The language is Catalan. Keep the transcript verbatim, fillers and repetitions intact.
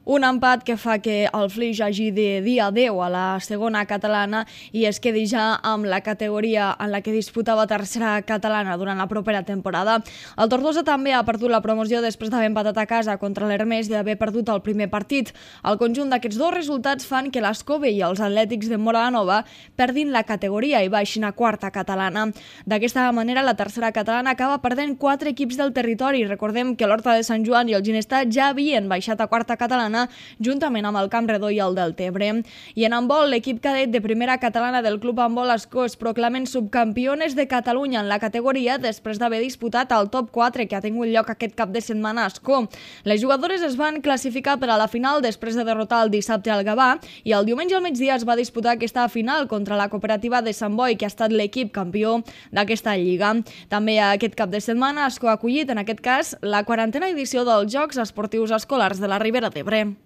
Un empat que fa que el Flix hagi de dir adeu a la segona catalana i es quedi ja amb la categoria en la que disputava tercera catalana durant la propera temporada. El Tortosa també ha perdut la promoció després d'haver empatat a casa contra l'Hermes i d'haver perdut el primer partit. El conjunt d'aquests dos resultats fan que l'Escove i els Atlètics de Móra-la-Nova perdin la categoria i baixin a quarta catalana. D'aquesta manera, la tercera catalana acaba perdent quatre equips del territori. Recordem que l'Horta de Sant Joan i el Ginestar ja havien baixat a quarta catalana juntament amb el Camp Redó i el Deltebre. I en handbol, l'equip cadet de primera catalana del Club Handbol Ascó es proclamen subcampiones de Catalunya en la categoria després d'haver disputat el top quatre que ha tingut lloc aquest cap de setmana a Ascó. Les jugadores es van classificar per a la final després de derrotar el dissabte al Gavà i el diumenge al migdia es va disputar aquesta final contra la cooperativa de Sant Boi, que ha estat l'equip campió d'aquesta lliga. També aquest cap de setmana Ascó ha acollit, en aquest cas, la quarantena edició dels Jocs Esportius Escolars de la Ribera d'Ebre.